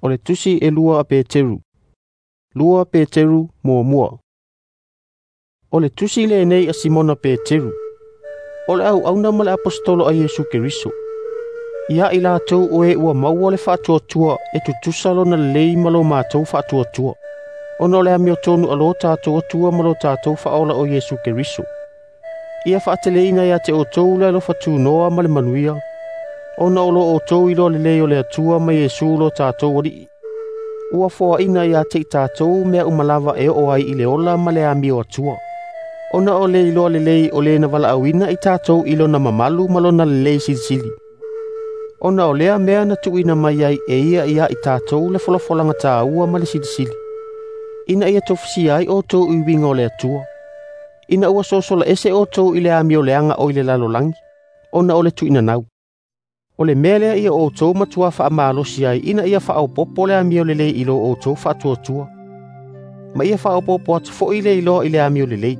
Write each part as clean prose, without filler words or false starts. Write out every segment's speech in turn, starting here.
O le Tusi e 2 a Peteru. 2 Peteru 1. O le tusi lenei a Simona Peteru. O le auauna ma le aposetolo a Iesu Keriso. Ia i latou o e ua maua le faatuatua e tutusa lona lelei ma lo matou faatuatua, ona o le amiotonu a lo tatou Atua ma lo tatou Faaola o Iesu Keriso. Ia faateleina ia te outou le alofa tunoa ma le manuia, ona o lo outou iloa lelei o le Atua ma Iesu lo tatou Alii. Ua foaina ia te i tatou mea uma lava e oo ai i le ola ma le amio Atua, ona o le iloa lelei o le na valaauina i tatou i lona mamalu ma lona lelei silisili. Ona o lea mea na tuuina mai ai e ia ia i tatou le folafolaga taua ma le silisili, ina ia tofusia ai outou i uiga o le Atua, ina ua sosola ese outou i le amio leaga o i le lalolagi, ona o le tuuinanau. O le mea lea ia outou matua faamalosi ai ina ia faaopoopo le amio lelei i lo outou faatuatua, ma ia faaopoopo atu foi le iloa i le amio lelei.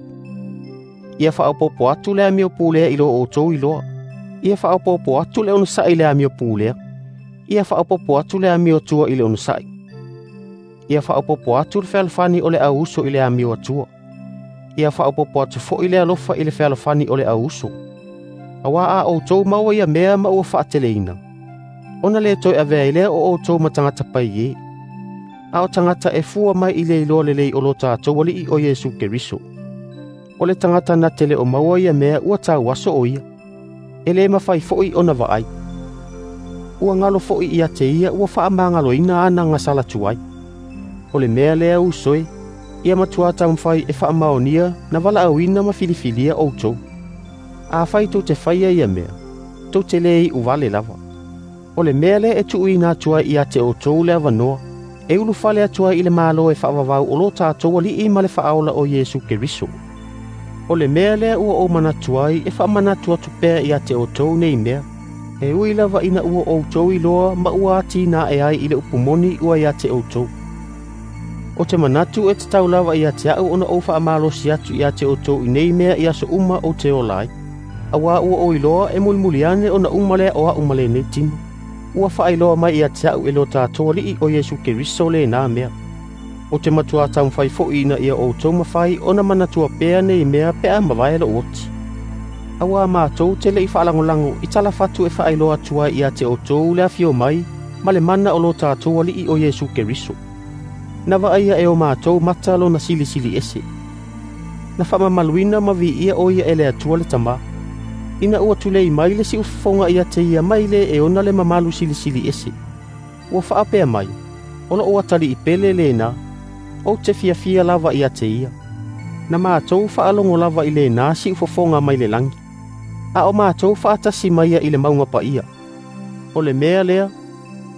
Ia faaopoopo atu le amio pulea i lo outou iloa. Ia faaopoopo atu le onosai i le amio pulea. Ia faaopoopo atu le amio atua i le onosai. Ia faaopoopo atu le fealofani o le auuso i le amio atua. Ia faaopoopo atu foi le alofa i le fealofani o le auuso. Aua a outou maua ia mea ma ua faateleina, ona le toe avea ai lea o outou ma tagata paie, a o tagata e fua mai i le iloa lelei o lo tatou Alii o Iesu Keriso. O le tagata na te le o maua ia mea ua tauaso o ia, e le mafai foi ona vaai. Ua galo foi ia te ia ua faamagaloina ana gasala tuai. O le mea lea uso e, ia matua taumafai e faamaonia na valaauina ma filifilia outou. Afai tou te faia ia mea, tou te le iu vale lava. O le mea lea e tuuina atu ai ia te outou le avanoa, e ulufale atu ai i le Malo e faavavau o lo tatou Alii ma le Faaola o Iesu Keriso. O le mea lea ua ou manatu ai e faamanatu atu pea ia te outou nei mea, e ui lava ina ua outou iloa ma ua atinae ai i le upu moni ua ia te outou. O te manatu e tatau lava ia te au ona ou faamalosi atu ia te outou i nei mea i aso uma ou te ola ai. Aua ua ou iloa e mulimuli ane ona uma lea o au ma lenei tino. Ua faailoa mai ia te au e lo tatou Alii o Iesu Keriso lena mea. O te matua taumafai foi ina ia outou mafai ona manatua pea nei mea pe a mavae lou oti. Aua matou te le i faalagolago i talafatu e faailoa atu ai ia te outou le afio mai ma le mana o lo tatou Alii o Iesu Keriso. Na vaaia e o matou mata lona silisili ese. Na faamamaluina ma viia o ia e le Atua le Tama, ina ua tulei mai le siufofoga ia te ia mai le e ona le mamalu silisili ese. Ua faapea mai, o lou atalii pele lena, ou te fiafia lava ia te ia. Na matou faalogo lava i lena siufofoga mai le lagi, a o matou faatasi mai ia i le mauga paia. O le mea lea,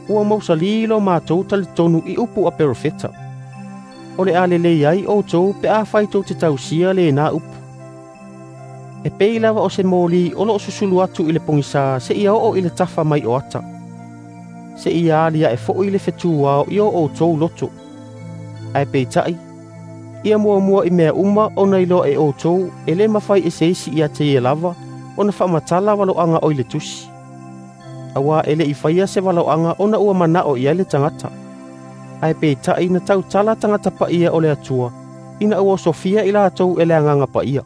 ua mausali lo matou talitonu i upu a perofeta. O le a lelei ai outou pe afai tou te tausia lena upu. E pei lava o se moli o loo susulu atu i le pogisa seia oo i le tafa mai o ata, seia aliae foi le fetuao i o outou loto. Ae peitai, ia muamua i mea uma ona iloa e outou e le mafai e se isi ia te ia lava ona faamatala valoaga o i le tusi. Aua e le i faia se valaoaga ona ua manao i ai le tagata. Ae peitai na tautala tagata paia o le Atua, ina ua osofia i latou e le Agaga Paia.